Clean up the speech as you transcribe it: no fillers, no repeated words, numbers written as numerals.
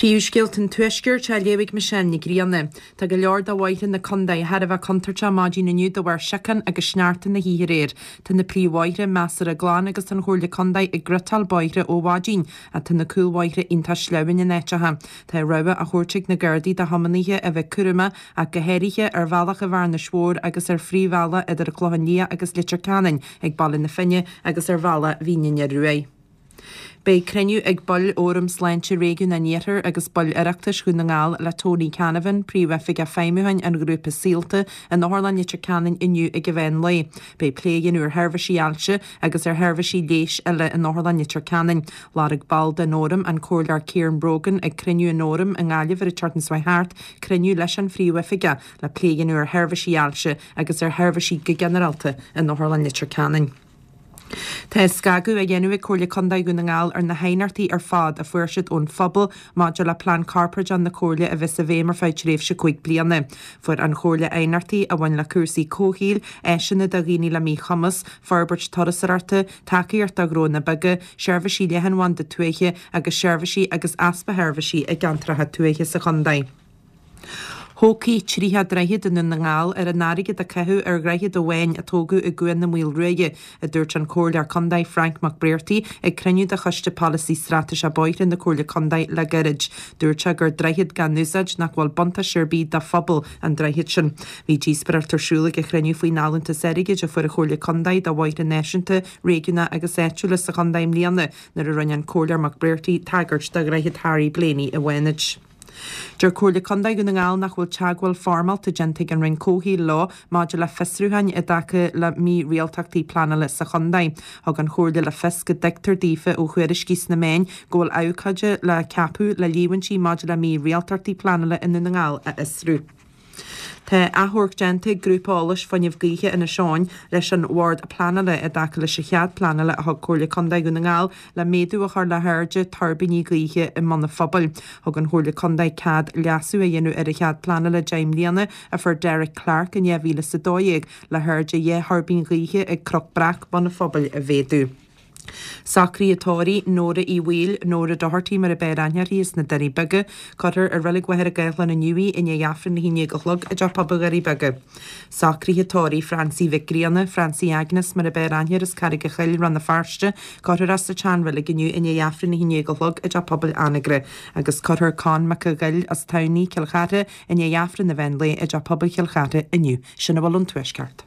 Príomhscéalta an Tuaiscirt á léamh ag Michelle Nic Grianna. Tá go leor de bhóithre na contae thar a bheith contúirteach maidin inniu de bharr siocán agus sneachta na hoíche aréir. Tá na príomhbhóithre measartha glan agus tá an Chomhairle Contae ag gréasáil bóithre ó mhaidin ach tá na cúlbhóithre iontach sleamhain in áiteacha. Tá rabhadh á thabhairt ag na Gardaí do thiománaithe a bheith cúramach ach go háirithe ar bhealach an Bhearnais Mhóir agus ar phríomhbhealach idir an Clochán Liath agus Leitir Ceanainn ag Baile na Finne agus ar bhealach Mhín an Fhir Ruaidh. Beidh cruinniú ag baill Fhóram Sláinte Réigiún an Iarthair agus baill Oireachtais Dhún na nGall le Tony Canavan, Príomhoifigeach Feidhmiúcháin an Ghrúpa Saolta, in Otharlann Leitir Ceanainn inniu ag an mheán lae. Beidh plé á dhéanamh ar sheirbhísí ailse agus ar sheirbhísí leighis eile in Otharlann Leitir Ceanainn. Lorg ball den Fhóram, an Comhairleoir Kieran Brogan, ag cruinniú an Fhóraim i nGaillimh ar an tseachtain seo thart, cruinniú leis an Phríomhoifigeach le plé a dhéanamh ar sheirbhísí ailse agus ar sheirbhísí go ginearálta in Otharlann Leitir Ceanainn. Tá scagadh á dhéanamh ag Comhairle Contae Dhún na nGall ar na haighneachtaí ar fad a fuair siad ón phobal maidir le Plean Corparáideach na Comhairle a bheas i bhfeidhm ar feadh tréimhse 5 bliana. Fuair an Chomhairle aighneachtaí a bhain le cúrsaí comhshaoil, áiseanna do dhaoine le míchumas, forbairt turasóireachta, tacaíocht do ghnónna beaga, seirbhísí leathanbhanda tuaithe agus seirbhísí agus easpa sheirbhísí i gceantracha tuaithe sa chontae. Thógfaí 30 droichead i nDún na nGall ar an airgead a caitheadh ar dhroichead amháin a tógadh i gCuan na Maoilruaidhe, a dúirt an Comhairleoir Contae Frank Mac Bréartaigh ag cruinniú de Choiste Polasaí Straitéiseach Bóithre na Comhairle Contae le gairid. Dúirt sé gur droichead gan úsáid nach bhfuil buntáiste ar bith do phobal an droichead sin. Bhí díospóireacht ar siúl ag an chruinniú faoin allúntas airgid a fuair an Chomhairle Contae do bhóithre náisiúnta, réigiúnacha agus áitiúla sa chontae i mbliana nuair a rinne an Comhairleoir Mac Bréartaigh tagairt do dhroichead Harry Blaney i bhFánaid. Deir Comhairle Contae Dhún na nGall nach bhfuil teagmháil foirmeálta déanta ag an Roinn Comhshaoil leo maidir le fiosrúcháin i dtaca le mí-rialtachtaí pleanála sa chontae. Thug an Chomhairle le fios go dtuigtear daofa ó thuairiscí sna meáin go bhfuil abhcóide le ceapadh le líomhaintí maidir le mí-rialtachtaí pleanála i nDún na nGall a fhiosrú. Tá achomharc déanta ag Grúpa Eolais Fuinneamh Gaoithe Inis Eoghain leis an Bhord Pleanála i dtaca leis an chead pleanála a thug Comhairle Contae Dhún na nGall le méadú a chur le hairde tuirbíní gaoithe i mBun an Phobail. Thug an Chomhairle Contae cead leasú a dhéanamh ar an chead pleanála 10 mbliana a fuair Derek Clarke in 2012 le hairde 2 thuirbín ghaoithe ag Cnoc Breac, Bun an Phobail a mhéadú. Socruithe tórraimh, Nóra Uí Bhaoill, Nóra Doherty mar a b'fhearr aithne uirthi as na Doirí Beaga. Cuirfear i Reilig Mhachaire Gathlán inniu í i ndiaidh Aifreann 11 a chlog i dTeach Pobail Dhoirí Beaga. Socruithe tórraimh Francie Mhic Grianna, Francie Agnes mar a b'fhearr aithne uirthi as Carraig a' Choill, Rann na Feirste. Cuirfear í sa tseanreilig inniu i ndiaidh Aifreann 11 a chlog i dTeach Pobail Anagaire. Agus cuirfear Con Mac a' Ghoill as Tamhnaigh, Cill Chartha, i ndiaidh Aifreann an mheán lae i dTeach Pobail Chill Chartha inniu. Sin a bhfuil ón Tuaisceart.